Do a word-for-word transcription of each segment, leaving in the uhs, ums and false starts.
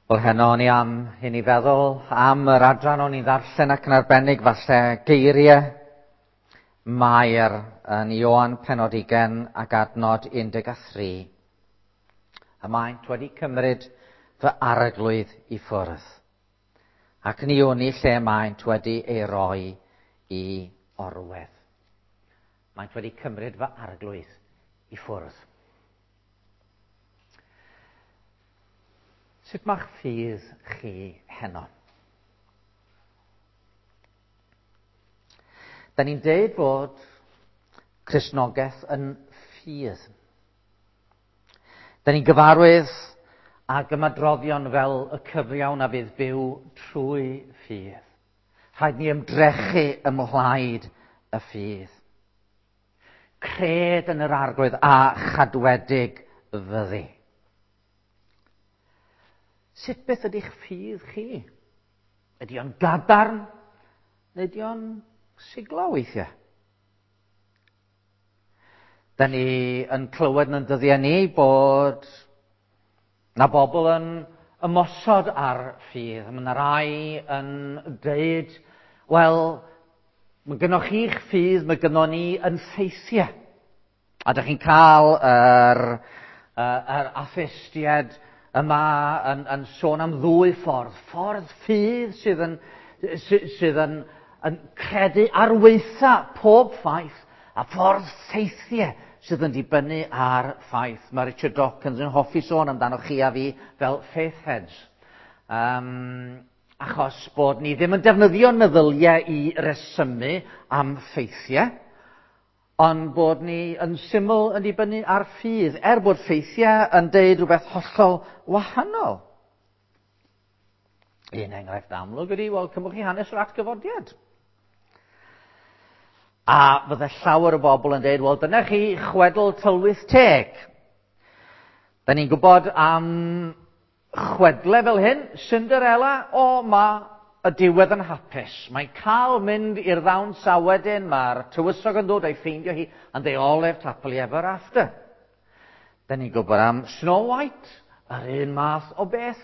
Wel, heno o'n i am i ni feddwl am yr adran o'n i'n ddarllen ac yn arbennig falle geiriau Mair yn Ioan pennod ugain ac adnod un deg a thri. Y maent wedi cymryd fy arglwydd i ffwrdd, ac ni wn i lle maent wedi ei roi i orwedd. Maent wedi cymryd fy arglwydd i ffwrdd. Sut mae'ch ffydd chi heno? Da ni'n deud bod Cristnogaeth yn ffydd. Da ni'n gyfarwydd ag ymadroddion fel y cyfiawn a fydd byw trwy ffydd. Rhaid ni ymdrechu ymhlaid y ffydd. Cred yn yr arglwydd a chadwedig fyddi. Sut beth ydy'ch ffydd chi? Ydy o'n gadarn neu ydy o'n siglo weithiau? Da ni yn clywed yn dyddiau ni bod na bobl yn ymosod ar ffydd. Mae yna rai yn deud, wel, mae gynnoch chi'ch ffydd, mae gynnon ni yn ffeithiau. A dych chi'n cael yr, yr atheistiaid yma yn, yn sôn am ddwy ffordd. Ffordd ffydd sydd yn, sydd yn, yn credu ar weitha pob ffaith, a ffordd ffeithiau sydd yn dibynnu ar ffaith. Mae Richard Dawkins yn hoffi sôn amdano chi a fi fel faith heads. Um, achos bod ni ddim yn defnyddio'n meddyliau i resymu am ffeithiau, ond bod ni yn syml yn dibynnu ar ffydd, er bod ffeithiau yn deud rhywbeth hollol wahanol. Un enghraifft amlwg ydy, wel, cymwch chi hanes yr atgyfodiad. A fydde llawer o bobl yn deud, wel, dyna chi chwedl tylwyth teg. Da ni'n gwybod am chwedle fel hyn, Cinderella, o, ma y diwedd yn hapus. Mae'n cael mynd i'r ddawns a wedyn mae'r tywysog yn dod a'i ffeindio hi, and they all lived happily ever after. Da ni'n gwybod am Snow White, yr un math o beth.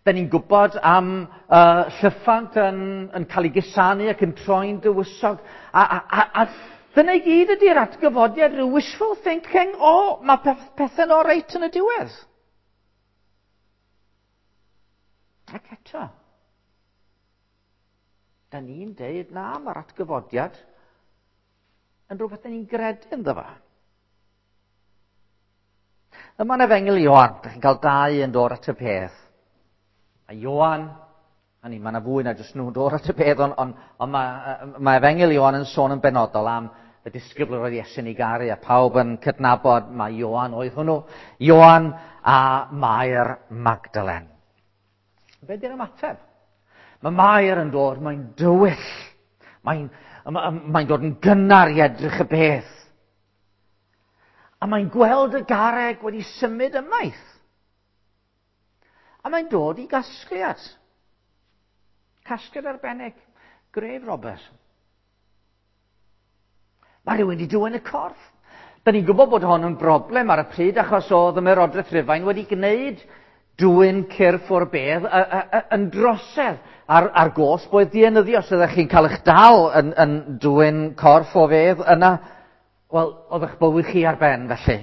Da ni'n gwybod am uh, llyffant yn, yn cael ei gusanu ac yn troi'n dywysog. A, a, a, a dyna i gyd ydy'r atgyfodiad, rhyw wishful thinking, o, oh, mae peth, pethau'n oreit yn y diwedd. Ac eto, da ni'n deud na, mae'r atgyfodiad yn rhywbeth da ni'n gredu ynddo fo. Yma'n Efengyl Ioan, da chi'n cael dau yn dod at y peth. A Ioan, a ni, mae yna fwy na jyst nhw'n dod at y peth, ond on, on mae, mae Efengyl Ioan yn sôn yn benodol am y disgybl roedd Iesu'n ei garu, a pawb yn cydnabod mae Ioan oedd hwnnw. Ioan a Mair Magdalen. Be di'r ymateb? Mae Mair yn dod, mae'n dywyll. Mae'n, mae'n dod yn gynnar i edrych y beth. A mae'n gweld y garreg wedi symud ymaith. A mae'n dod i gasgliad. Casgliad arbennig. Grave robbers. Mae rhywun wedi dwyn y corff. Da ni'n gwybod bod hon yn broblem ar y pryd achos oedd y Ymerodraeth Rufain wedi gwneud dwyn cyrff o'r bedd yn drosedd ar, ar gosb oedd dienyddio. Os ydych chi'n cael eich dal yn, yn dwyn corff o fedd yna, wel, oedd eich bywyd chi ar ben felly.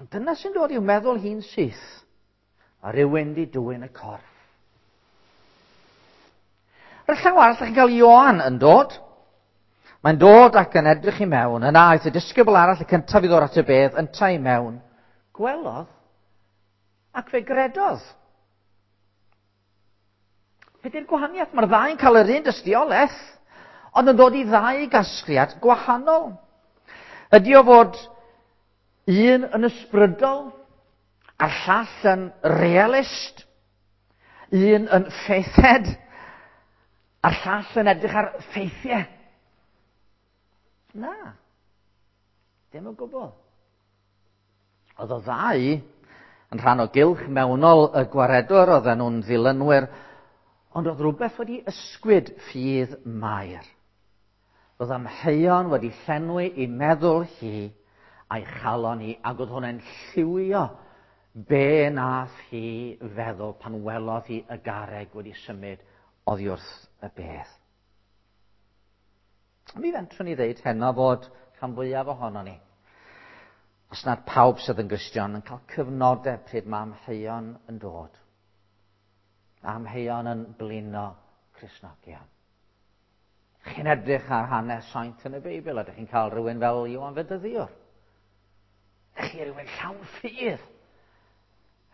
Ond dyna sy'n dod i'w meddwl hi'n syth. A rhywun di dwyn y corff. Ar y llaw arall, chi'n cael Ioan yn dod. Mae'n dod ac yn edrych i mewn. Yna aeth y disgybl arall, y cyntaf i ddod at y bedd, yntau i mewn. Gwelodd ac fe gredodd. Be di'r gwahaniaeth? Mae'r ddau'n cael yr un dystiolaeth, ond yn dod i ddau gasgliad gwahanol. Ydy o fod un yn ysbrydol, a'r llall yn realist, un yn faithhead, a'r llall yn edrych ar ffeithiau? Na, dim o gwbl. Oedd o ddau yn rhan o gylch mewnol y gwaredwr, oedden nhw'n ddilynwyr, ond oedd rhywbeth wedi ysgwyd ffydd Mair. Oedd amheuon wedi llenwi i meddwl hi a'i chalon hi, ac oedd hwnna'n lliwio Be nath hi feddwl pan welodd hi y garreg wedi symud oddi wrth y bedd? Mi fentrwn ni ddeud heno fod rhan fwyaf ohono ni, os nad pawb sydd yn Gristion, yn cael cyfnodau pryd mae amheuon yn dod. Amheuon yn blino Cristnogion. Chi'n edrych ar hanes saint yn y Beibl, a ydych chi'n cael rhywun fel Ioan Fedyddiwr. Ydych chi rhywun llawn ffydd.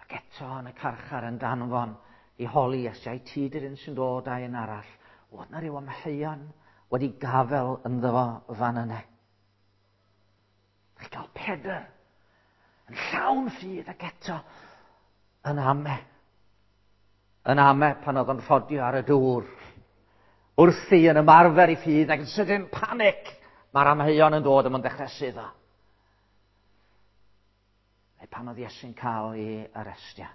Ac eto yn y carchar yn danfon i holi Iesu, ai ti di'r un sy'n dod a un arall. Oedd na ryw amheuon wedi gafel ynddo fo fan yna. Chi'n cael Pedr yn llawn ffydd ac eto yn ame. Yn ame pan oedd o'n rhodio ar y dŵr. Wrthi yn ymarfer i ffydd ac yn sydyn panic. Mae'r amheuon yn dod a mae'n dechrau suddo. Neu pan oedd Iesu'n cael ei arestio.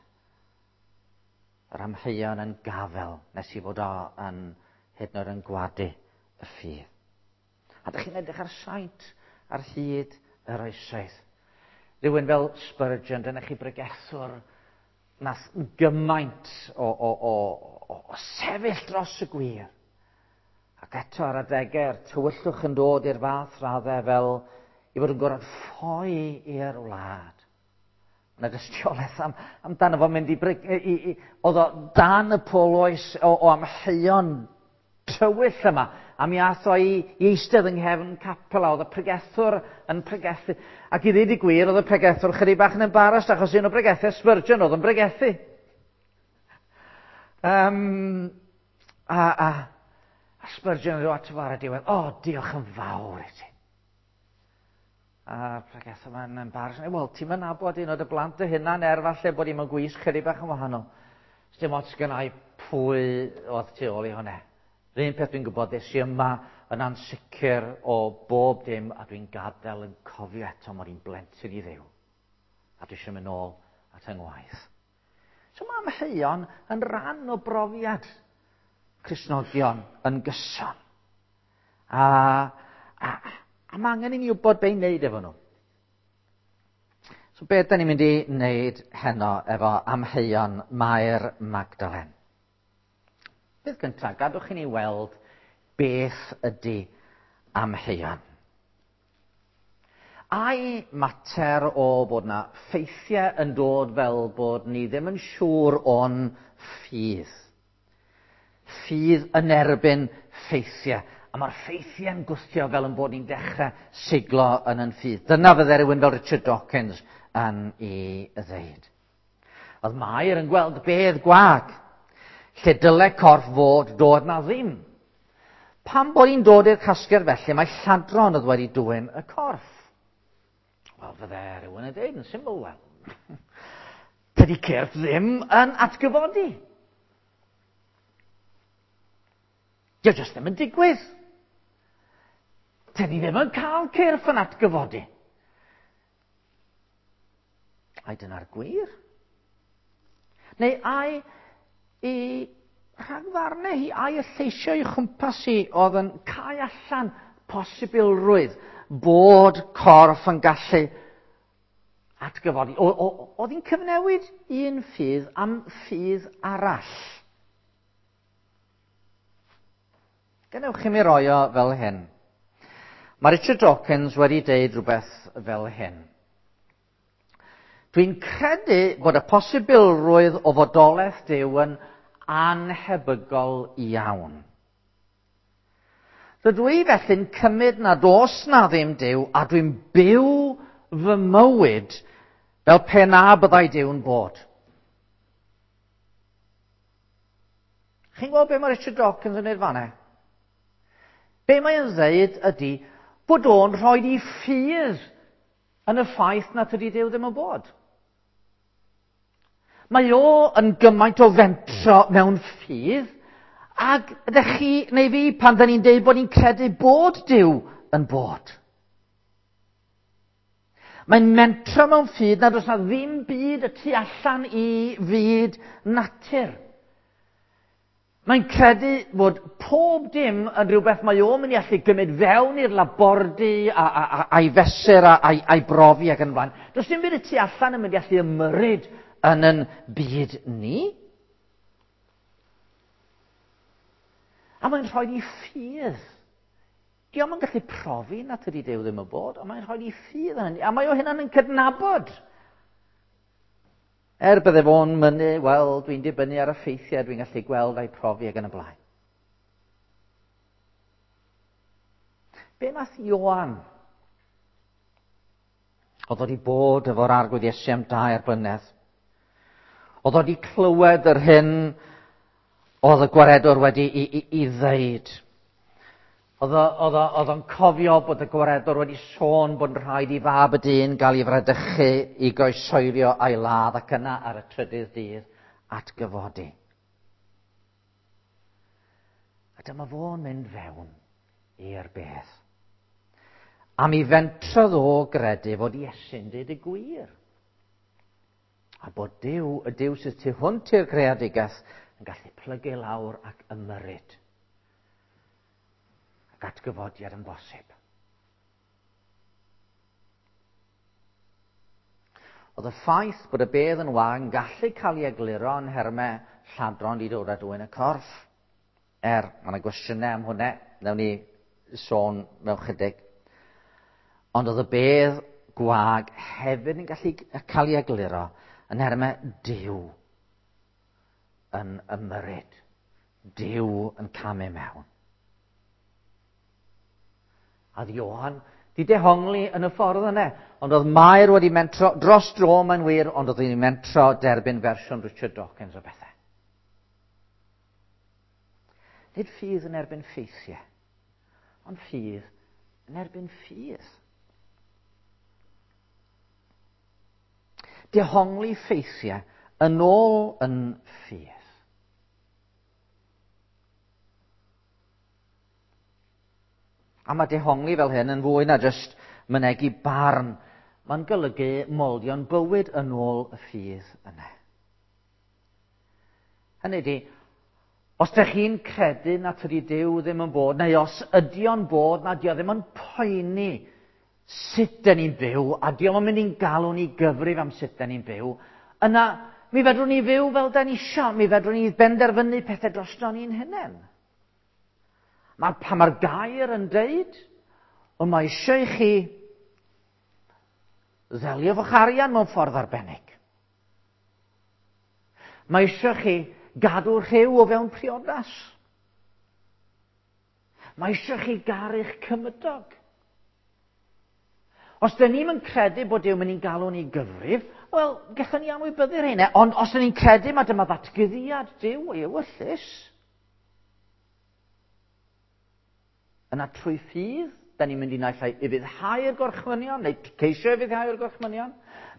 Yr amheuon yn gafel nes i fod o yn hyd yn oed yn gwadu y ffydd. A dych chi'n edrych ar saint ar hyd yr oesoedd. Rhywun fel Spurgeon, dyna chi bregethwr nath gymaint o, o, o, o, o sefyll dros y gwir. Ac eto ar adegau'r tywyllwch yn dod i'r fath raddau fel i fod yn gorfod ffoi i'r wlad. Yna dystiolaeth am, amdano fo mynd i, i, i oedd o dan y poloes o, o amheuon tywyll yma, a mi ath o i, i eistedd yng nghefn capel a oedd y pregethwr yn pregethu. Ac i ddweud y gwir, oedd y pregethwr chydig bach yn embarrassed achos un o bregethau Spurgeon oedd yn pregethu. Um, a, a, a Spurgeon yn dod ato fo ar y diwedd, o, oh, diolch yn fawr i ti. A pregethwr ma'n embarrassed. Wel, ti'n mynd nabod un o dy blant dy hunan er falle bod i'n gwisg chydig bach yn wahanol. Dim ots gynna i pwy oedd tu ôl i hwnna. Yr un peth dwi'n gwybod, des i yma yn ansicr o bob dim a dwi'n gadael yn cofio eto mod i'n blentyn i Dduw. A dwi eisiau mynd nôl at yng ngwaith. So mae amheuon yn rhan o brofiad Cristnogion yn gyson. A, a, a mae angen i ni wybod be i wneud efo nhw. So beth da ni'n mynd i wneud heno efo amheuon Mair Magdalen? Beth gyntaf, gadwch i ni weld beth ydy amheuon. Ai mater o bod na ffeithiau yn dod fel bod ni ddim yn siŵr o'n ffydd. Ffydd yn erbyn ffeithiau. A mae'r ffeithiau'n gwthio fel yn bod ni'n dechrau siglo yn yn ffydd. Dyna fydde rhywun fel Richard Dawkins yn ei ddeud. Oedd Mair yn gweld bedd gwag. Lle dyle corff fod, dod na ddim. Pam bod hi'n dod i'r casgliad felly, mae lladron oedd wedi dwyn y corff. Wel, fydde rhywun yn dweud yn syml, wel. Tydi cyrff ddim yn atgyfodi. Dio jyst ddim yn digwydd. Tydi ddim yn cael cyrff yn atgyfodi. Ai dyna'r gwir? Neu ai i rhagfarnau hi, ai y lleisio i chwmpas hi oedd yn cau allan posibilrwydd bod corff yn gallu atgyfodi. Oedd hi'n cyfnewid un ffydd am ffydd arall. Gadewch i mi roi o fel hyn. Mae Richard Dawkins wedi deud rhywbeth fel hyn. Dwi'n credu bod y posibilrwydd o fodolaeth Duw yn anhebygol iawn. Rydw i felly'n cymryd nad oes na ddim Duw a dwi'n byw fy mywyd fel pe na byddai Duw'n bod. Chi'n gweld be mae Richard Dawkins yn neud fan'na? Be mae'n ddeud ydy bod o'n rhoi i ffydd yn y ffaith na tydi Duw ddim yn bod. Mae o yn gymaint o fentro mewn ffydd, ac ydych chi neu fi pan dyn ni'n deud bod ni'n credu bod Duw yn bod. Mae'n mentro mewn ffydd nad oes na ddim byd y tu allan i fyd natur. Mae'n credu bod pob dim yn rhywbeth mae o'n mynd i allu gymryd fewn i'r labordy a, a, a, a'i fesur a, a'i, a'i brofi ac yn blaen. Does dim byd y tu allan yn mynd i allu ymyrryd yn yn byd ni. A mae'n rhoi i ffydd. Dio'm yn gallu profi na tydi Duw ddim yn bod, ond mae'n rhoi i ffydd yn hynny. A mae o hynna'n yn cydnabod. Er bydde fo'n mynnu, wel, dwi'n dibynnu ar y ffeithiau, dwi'n gallu gweld a'i profi ac yn y blaen. Be nath Ioan? Oedd wedi bod efo'r Arglwydd Iesu am dair blynedd. Oedd wedi clywed yr hyn oedd y gwaredwr wedi i, i, i ddeud. Oedd o'n cofio bod y gwaredwr wedi sôn bod yn rhaid i fab y dyn gael ei fradychu, i groeshoelio a'i ladd ac yna ar y trydydd dydd atgyfodi. A dyma fo'n mynd fewn i'r bedd. A mi fentrodd o gredu fod Iesu'n dweud y gwir. A bod Duw, y Duw sydd tu hwnt i'r greadigaeth, yn gallu plygu lawr ac ymyrryd. Ac atgyfodiad yn bosib. Oedd y ffaith bod y bedd yn wag yn gallu cael ei egluro yn nhermau lladron di dod a dwyn y corff. Er, mae yna gwestiynau am hwnna, wnawn ni sôn mewn chydig. Ond oedd y bedd gwag hefyd yn gallu cael ei egluro yn nhermau Duw yn ymyrryd. Duw yn camu mewn. A oedd Ioan di dehongli yn y ffordd yna. Ond oedd Mair wedi mentro, dros dro mae'n wir, ond oedd wedi mentro derbyn fersiwn Richard Dawkins o bethau. Nid ffydd yn erbyn ffeithiau, ond ffydd yn erbyn ffydd. Dehongli ffeithiau yn ôl yn ffydd. A mae dehongli fel hyn yn fwy na jyst mynegi barn. Mae'n golygu moldio'n bywyd yn ôl y ffydd yna. Hynny ydi, os ydych chi'n credu na tydi Duw ddim yn bod, neu os ydi o'n bod, na dio ddim yn poeni sut dyn ni'n byw, a dio yn mynd i'n galw ni gyfrif am sut dyn ni'n byw, yna mi fedrwn ni fyw fel dyn ni isio, mi fedrwn ni benderfynu pethau drosto ni'n hunain. Mae pan mae'r gair yn deud, ond mae eisiau i chi ddelio efo'ch arian mewn ffordd arbennig. Mae eisiau chi gadw rhyw o fewn priodas. Mae eisiau chi garu'ch cymydog. Os dyn ni'm yn credu bod Duw mynd i'n galw ni gyfrif, wel, gallwn ni anwybyddu'r hynny. Ond os dyn ni'n credu mae dyma ddatguddiad Duw ei ewyllys, yna trwy ffydd, da ni'n mynd i naill ai ufuddhau'r gorchmynion, neu ceisio ufuddhau'r gorchmynion,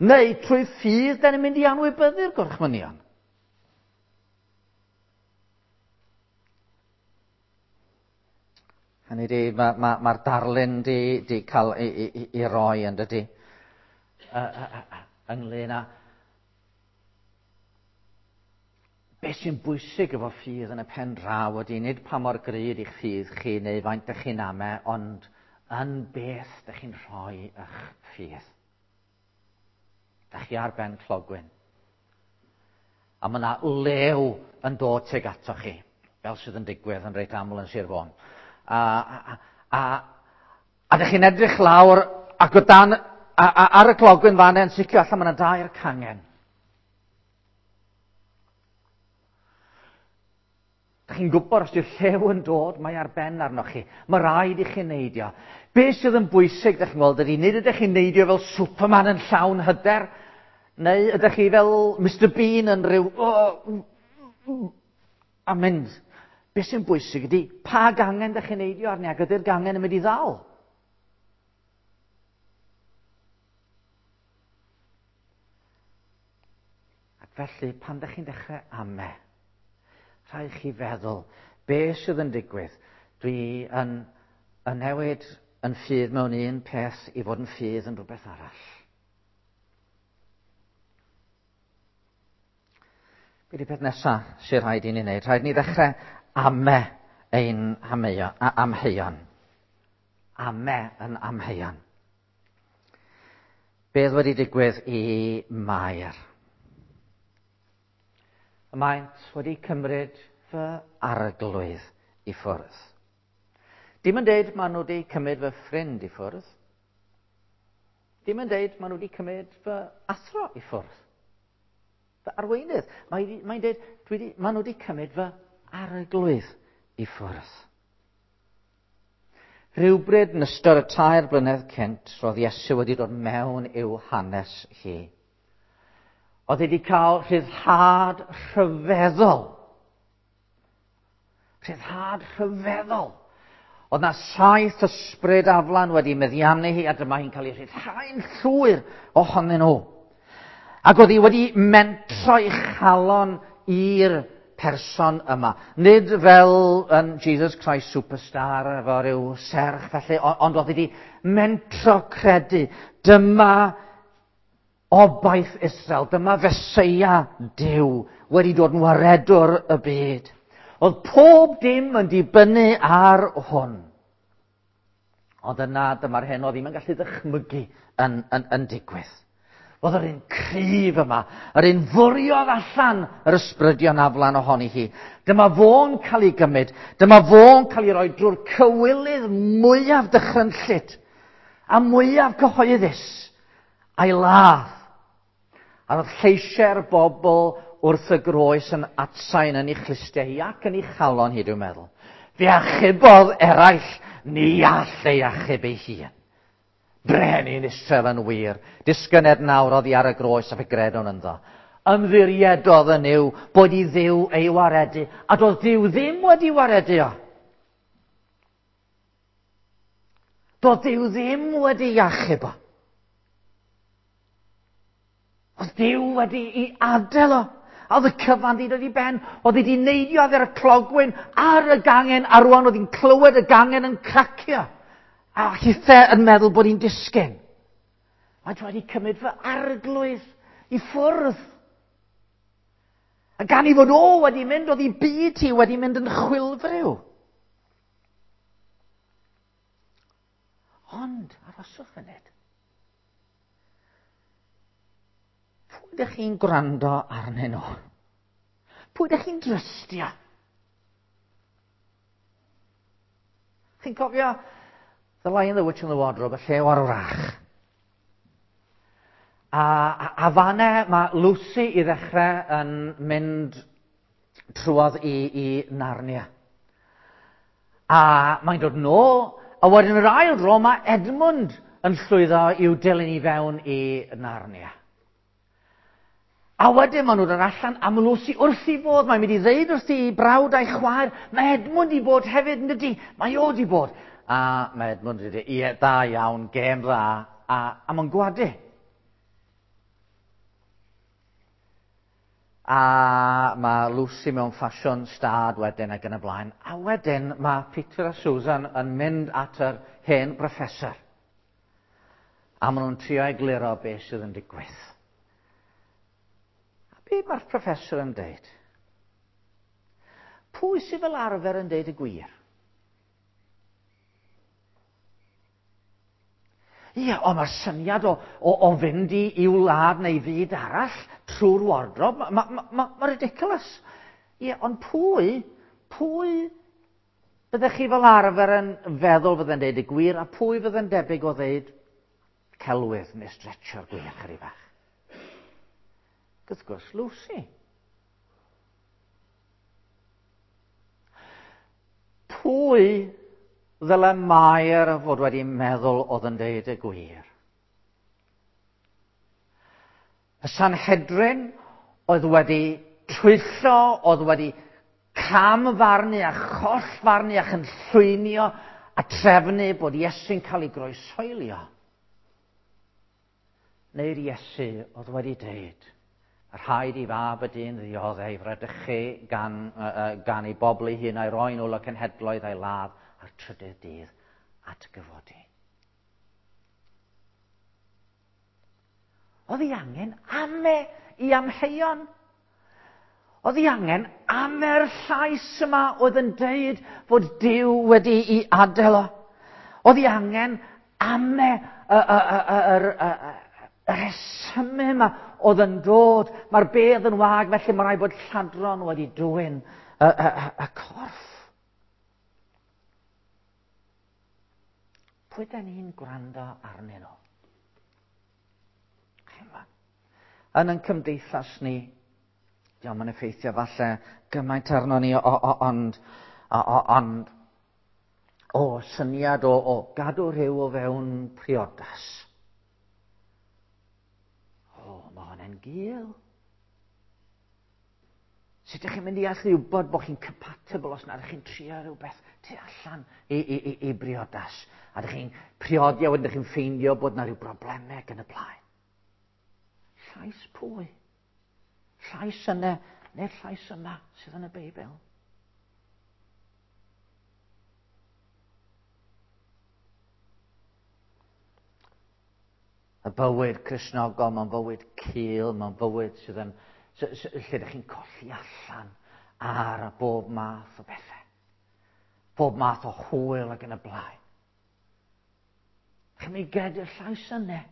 neu trwy ffydd, da ni'n mynd i anwybyddu'r gorchmynion. Hynny di, mae'r ma, ma darlun di, di cael ei, ei, ei roi yn dydi, ynglyn â beth sy'n bwysig efo ffydd yn y pen draw ydy, nid pa mor gry ydych ffydd chi neu faint ydych chi'n ame, ond yn beth ydych chi'n rhoi eich ffydd. Dych chi ar ben clogwyn. A mae yna lew yn dod tuag ato chi, fel sydd yn digwydd yn reit aml yn Sir Fôn. A, a, a, a ydych chi'n edrych lawr ac o dan, a, a, ar y clogwyn fan yn sicr allan mae yna dair cangen. Dych chi'n gwybod os yw'r llew yn dod, mae ar ben arnoch chi. Mae rhaid i chi neidio. Be sydd yn bwysig, dych chi'n gweld, ydy, nid ydych chi'n neidio fel Superman yn llawn hyder, neu ydych chi fel Mister Bean yn rhyw... Oh, a mynd. Be sy'n bwysig ydy, pa gangen dych chi'n neidio arni, ac ydy'r gangen yn mynd i ddal? Ac felly, pan dych chi'n dechrau ame, rhaid chi feddwl, be sydd yn digwydd? Dwi yn, yn newid yn ffydd mewn un peth i fod yn ffydd yn rhywbeth arall. Be 'di peth nesaf sy'n rhaid i ni wneud? Rhaid ni ddechrau Ame ein amheuon. Ame yn amheuon. Beth wedi digwydd i Mair? Maent wedi cymryd fy arglwydd i ffwrdd. Dim yn deud maen nhw wedi cymryd fy ffrind i ffwrdd. Dim yn deud maen nhw wedi cymryd fy athro i ffwrdd. Fy arweinydd. Mae'n mae deud, dwi di, maen nhw wedi cymryd fy arglwydd i ffwrdd. Rhywbryd yn ystod y tair blynedd cynt, roedd Iesu wedi dod mewn i'w hanes hi. Oedd wedi cael rhyddhad rhyfeddol. Rhyddhad rhyfeddol. Oedd na saith ysbryd aflan wedi meddiannu hi, a dyma hi'n cael ei rhyddhau'n llwyr ohonyn nhw. Ac oedd hi wedi mentro ei chalon i'r person yma. Nid fel yn Jesus Christ Superstar efo rhyw serch felly, ond oedd wedi mentro credu. Dyma obaith Israel, dyma Feseia Duw wedi dod yn waredwr y byd. Oedd pob dim yn dibynnu ar hwn. Ond yna dyma'r hyn oedd ddim yn gallu ddychmygu yn, yn, yn digwydd. Oedd yr un cryf yma, yr un fwriodd allan yr ysbrydion aflan ohoni hi. Dyma fo'n cael ei gymryd, dyma fo'n cael ei roi drwy'r cywilydd mwyaf dychrynllyd a mwyaf cyhoeddus a'i ladd. A roedd lleisiau'r bobl wrth y groes yn atsain yn ei chlustiau hi ac yn ei chalon hi, dwi'n meddwl. Fe achubodd eraill, ni all ei achub ei hun. Brenin Israel yn wir, disgyned nawr oddi ar y groes a fe gredwn ynddo. Ymddiriedodd yn Nuw bod i Dduw ei waredu, a doedd Duw ddim wedi waredu o. Doedd Duw ddim wedi achub o. Oedd Duw wedi i adael o. A oedd y cyfan wedi dod i ben. Oedd wedi neidio ar y clogwyn ar y gangen, a rwan oedd hi'n clywed y gangen yn cracio. A hithe yn meddwl bod hi'n disgyn. Mae wedi cymryd fy arglwydd i ffwrdd. A gan i fod o wedi mynd, oedd ei byd hi wedi mynd yn chwilfriw. Ond, arhoswch funud. Pwy ydych chi'n gwrando arnyn nhw? Pwy ydych chi'n drystio? Chi'n cofio The Lion, the Witch and the Wardrobe, y llew ar wrach. A, a, a fanne mae Lucy i ddechrau yn mynd trwodd i, i Narnia. A mae'n dod nôl, a wedyn yr ail dro mae Edmund yn llwyddo i'w dilyn i fewn i Narnia. A wedyn maen nhw'n dod allan a mae Lucy wrth i fod, mae'n mynd i ddeud wrth i brawd a'i chwaer, mae Edmund i bod hefyd, yn dydi? Mae o di bod. A mae Edmund wedi dweud, ie, da iawn, gêm dda, a, a mae'n gwadu. A mae Lucy mewn ffasiwn stad wedyn ac yn y blaen. A wedyn mae Peter a Susan yn mynd at yr hen professor. A maen nhw'n trio egluro beth sydd yn digwydd. A be mae'r professor yn deud? Pwy sydd fel arfer yn deud y gwir? Ie, ond mae'r syniad o, o, o fynd i i'w wlad neu fyd arall trwy'r wardrobe, mae ma, ma, ma, ma ridiculous. Ie, ond pwy, pwy byddech chi fel arfer yn feddwl fydde'n deud y gwir, a pwy fydde'n debyg o ddeud celwydd neu stretcho'r gwir chydig bach? Wrth gwrs, Lucy. Pwy ddyle Mair fod wedi meddwl oedd yn deud y gwir? Y Sanhedrin oedd wedi twyllo, oedd wedi camfarnu a chollfarnu a chynllwynio a trefnu bod Iesu'n cael ei groeshoelio. Neu'r Iesu oedd wedi deud, rhaid i fab y dyn ddioddef ei fradychu gan, uh, gan ei bobl ei hun a'i roi nôl y cenhedloedd a'i ladd a'r trydydd dydd atgyfodi. Oedd ei angen ame i amheuon. Oedd hi angen ame'r llais yma oedd yn deud fod Duw wedi'i adael o. Oedd hi angen ame y, y, y, y, y, y, y rhesymau yma oedd yn dod. Mae'r bedd yn wag, felly mae rhaid bod lladron wedi dwyn y, y, y, y corff. Pwy da ni'n gwrando arnyn nhw? Yn ein cymdeithas ni, diolch yn effeithio falle gymaint arno ni, o, o, ond, o, o, ond o syniad o, o gadw rhyw o fewn priodas. O, mae hwnna'n gul. Sut ydych chi'n mynd i allu wybod bod chi'n compatible os nad ydych chi'n trio rhywbeth tu allan i, i, i, i briodas? A ydych chi'n priodi a wedyn ydych chi'n ffeindio bod na rhyw broblemau ac yn y blaen. Llais pwy? Llais yna, neu'r llais yma sydd yn y Beibl? Y bywyd Cristnogol, mae'n fywyd cul, mae'n fywyd sydd yn, lle ydych chi'n colli allan ar bob math o bethau. Bob math o hwyl ac yn y blaen. Chi'n mynd i gredu'r llais yna.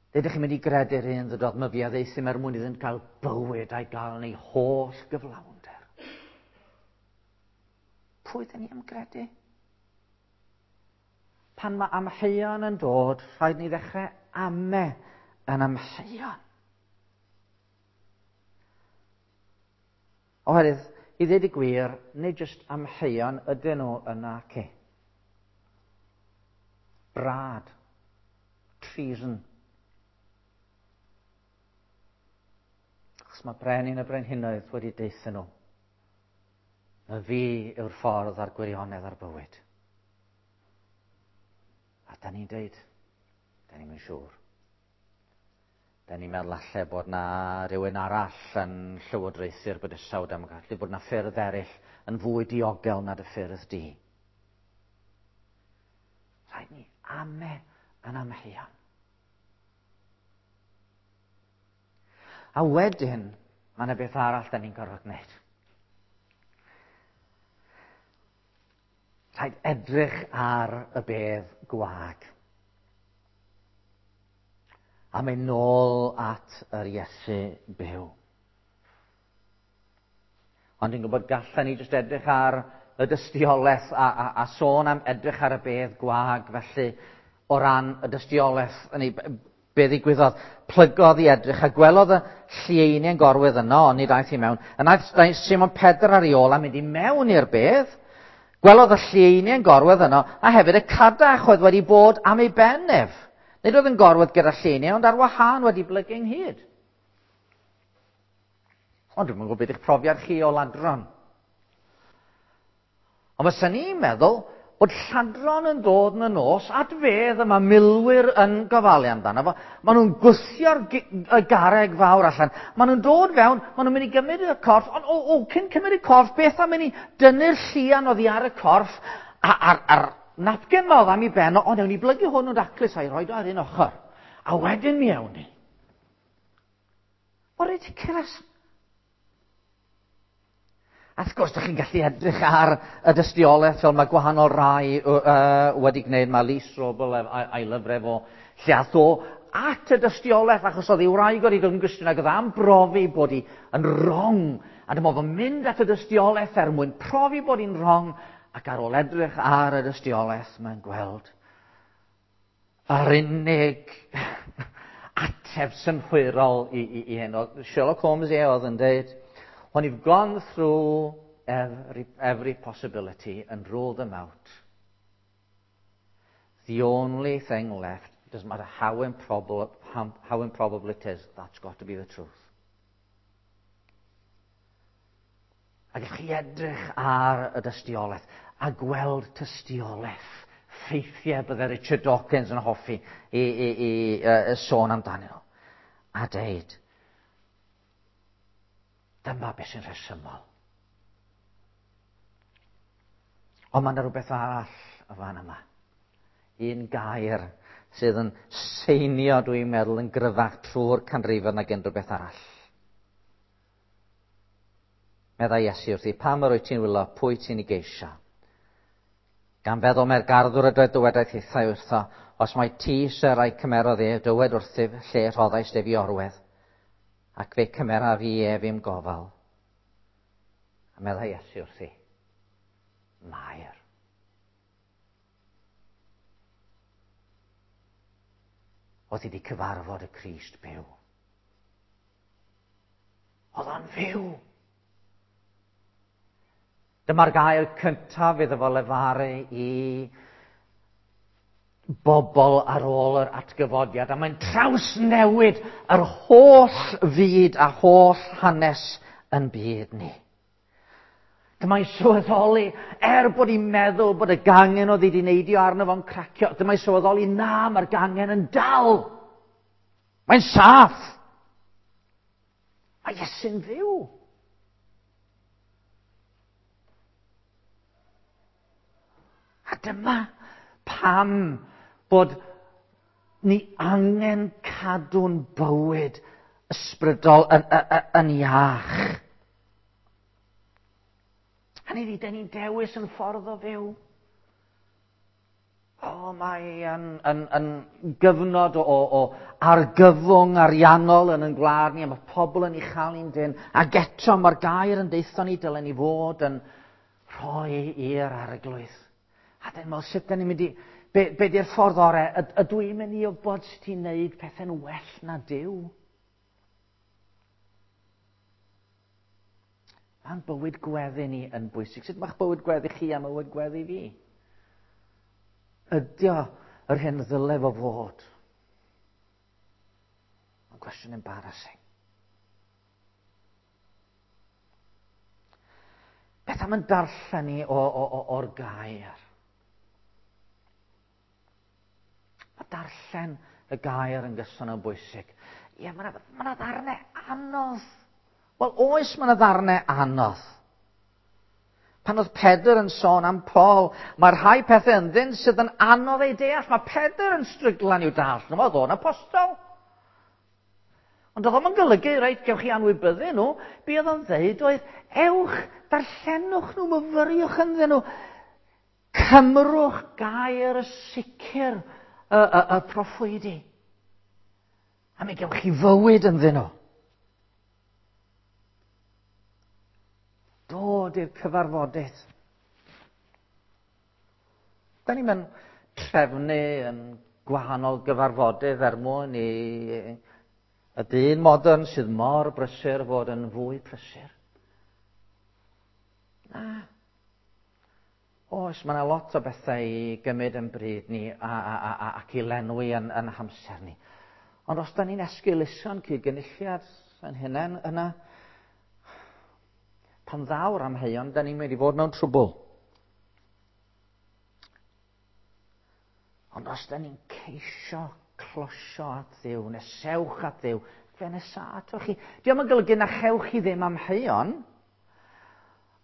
Ydych chi'n mynd i gredu'r un ddydodd myfi a ddeithim er mwyn iddynt gael bywyd a'i gael yn ei holl gyflawnder. Pwy ydyn ni am gredu? Pan mae amheuon yn dod, rhaid ni ddechrau ame yn amheuon. Oherwydd, i ddweud y gwir, nid jyst amheuon ydyn nhw yna ce. Brad. Treason. Achos mae brenin y brenhinoedd wedi deutha nhw. Na fi yw'r ffordd a'r gwirionedd a'r bywyd. A da ni'n deud, da ni'n mynd siŵr. Da ni'n meddwl alle bod na rhywun arall yn llywodraethu'r bydysawd am gallu bod na ffyrdd eraill yn fwy diogel na dy ffyrdd di. Rhaid ni ame yn amheuon. A wedyn, mae yna beth arall da ni'n gorfod gwneud. Rhaid edrych ar y bedd gwag. A mynd nôl at yr Iesu byw. Ond dwi'n gwybod gallan ni jyst edrych ar y dystiolaeth a, a, a sôn am edrych ar y bedd gwag, felly o ran y dystiolaeth yn ei be ddigwyddodd, plygodd i edrych a gwelodd y llieiniau'n gorwedd yno, ond nid aeth i mewn. Yna aeth Simon Pedr ar ei ôl a mynd i mewn i'r bedd. Gwelodd y llieiniau'n gorwedd yno, a hefyd y cadach oedd wedi bod am ei ben ef. Nid oedd yn gorwedd gyda llieiniau, ond ar wahân wedi blygu ynghyd. Ond dwi'm yn gwybod beth eich profiad chi o ladron. Ond fysa ni'n meddwl bod lladron yn dod yn y nos at fedd y mae milwyr yn gofalu amdano fo. Maen nhw'n gwthio'r y garreg fawr allan. Maen nhw'n dod fewn, maen nhw'n mynd i gymryd y corff, ond o, o, cyn cymryd y corff, beth am mynd i dynnu'r llian oddi ar y corff a'r, ar napkin ma oedd am ei ben, o, newn ni blygu hwn yn daclus a'i roed o ar un ochr. A wedyn mi awn ni. Mor ridiculous. A wrth gwrs, ydych chi'n gallu edrych ar y dystiolaeth fel mae gwahanol rai uh, wedi gwneud. Mae Lee Strobel a'i lyfrau fo lle ath o at y dystiolaeth achos oedd ei wraig wedi dod yn Gristion ac oedd am brofi bod hi yn wrong. A dyma fo'n mynd at y dystiolaeth er mwyn profi bod hi'n wrong, ac ar ôl edrych ar y dystiolaeth mae'n gweld yr unig ateb synhwyrol i, i, i hyn. Sherlock Holmes e oedd yn dweud, when you've gone through every, every possibility and ruled them out, the only thing left, doesn't matter how improbable, how, how improbable it is, that's got to be the truth. A gallwch chi edrych ar y dystiolaeth a gweld tystiolaeth ffeithiau bydde Richard Dawkins yn hoffi i, i, i, i sôn amdanyn nhw. A deud, dyma beth sy'n rhesymol. Ond mae yna rhywbeth arall y fan yma. Un gair sydd yn seinio, dwi'n meddwl, yn gryfach trwy'r canrifoedd nag unrhyw beth arall. Meddai Iesu wrthi, pam yr wyt ti'n wylo, pwy ti'n ei geisio? Gan feddwl mae'r garddwr ydoedd dywedaeth hithau wrtho, os mai ti syr a'i cymerodd ef, dywed wrthyf lle rhoddais ef i orwedd, ac fe cymera fi ef i'm gofal. A meddai Iesu wrthi, Mair. Oedd hi wedi cyfarfod y Crist byw. Oedd o'n fyw. Dyma'r gair cyntaf iddo fo lefaru i bobl ar ôl yr atgyfodiad, a mae'n trawsnewid yr holl fyd a holl hanes yn byd ni. Dyma'n sylweddoli, er bod hi'n meddwl bod y gangen oedd wedi neidio arno fo'n cracio, dyma'n sylweddoli, na, mae'r gangen yn dal. Mae'n saff. Mae Iesu'n fyw. A dyma pam bod ni angen cadw'n bywyd ysbrydol yn, yn, yn iach. Hynny ydi, dyn ni'n dewis yn ffordd o fyw. O, mae yn, yn, yn gyfnod o, o argyfwng ariannol yn ein gwlad ni, a mae pobl yn ei chael ni'n dyn. Ac eto mae'r gair yn deutho ni, dylen ni fod yn rhoi i'r arglwydd. A dyn meddwl, sut dyn ni'n mynd i... Be, be di'r ffordd orau? Ydw i'n mynd i wybod sut i'n neud pethau'n well na Duw? Mae'n bywyd gweddi ni yn bwysig. Sut mae'ch bywyd gweddi chi a bywyd gweddi fi? Ydy o yr hyn ddyle fo fod? Mae'n gwestiwn embarrassing. Beth am yn darllen ni o, o, o, o'r gair? Mae darllen y gair yn gyson yn bwysig. Ie, mae yna ma ddarnau anodd. Wel, oes mae yna ddarnau anodd. Pan oedd Pedr yn sôn am Paul, mae rhai pethau ynddyn sydd yn anodd eu deall. Mae Pedr yn stryglan i'w dall nhw, oedd o'n apostol. Ond oedd o'n golygu, reit, gewch chi anwybyddu nhw. Be oedd o'n dweud oedd, ewch, darllenwch nhw, myfyriwch ynddyn nhw. Cymrwch gair y sicr y, y, y proffwydi. A mi gewch chi fywyd ynddyn nhw. Dod i'r cyfarfodydd. Da ni'n mynd trefnu yn gwahanol gyfarfodydd er mwyn i y dyn modern sydd mor brysur fod yn fwy prysur. Na. Oes, mae yna lot o bethau i gymryd yn bryd ni a, a, a, a, ac i lenwi yn, yn hamser ni. Ond os da ni'n esgeuluso'n cyd-gynulliad yn hunain yna, pan ddaw'r amheuon, da ni'n mynd i fod mewn trwbl. Ond os da ni'n ceisio closio at Dduw, nesewch at Dduw, fe nesa atoch chi. Dio'm yn golygu na chewch chi ddim amheuon,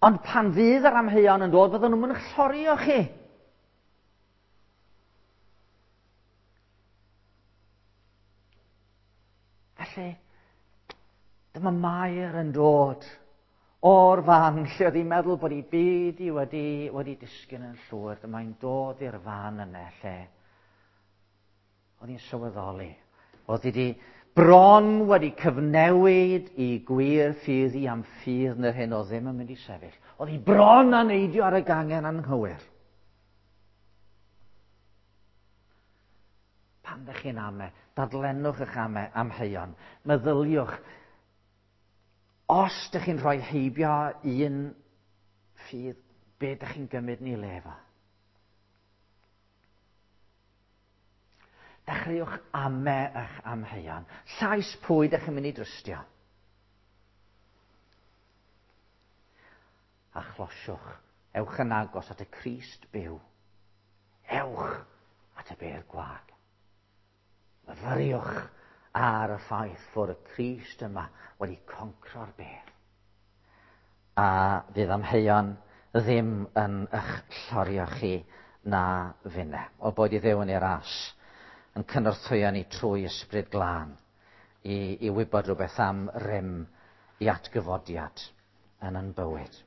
ond pan fydd yr amheuon yn dod, fydden nhw'n mynd i'ch llorio chi. Felly, dyma Mair yn dod o'r fan lle oedd hi'n meddwl bod ei byd hi wedi, wedi disgyn yn llwyr. Dyma hi'n dod i'r fan yna lle oedd hi'n sylweddoli. Oedd hi wedi bron wedi cyfnewid i gwir ffydd i am ffydd yn yr hyn oedd ddim yn mynd i sefyll. Oedd hi bron â neidio ar y gangen anghywir. Pan ddech chi'n ame, dadlennwch eich ame amheuon, meddyliwch. Os ydych chi'n rhoi heibio un ffydd, be ydych chi'n gymryd ni le efo? Dechreuwch ame eich amheuon. Llais pwy ydych chi'n mynd i drystio? A chlosiwch. Ewch yn agos at y Crist byw. Ewch at y bedd gwag. Myfyriwch ar y ffaith fod y Crist yma wedi concro'r bedd. A fydd amheuon ddim yn eich llorio chi na finne. O boed i Dduw yn ei ras yn cynorthwyo ni trwy ysbryd glân i, i wybod rhywbeth am rym i atgyfodiad yn yn bywyd.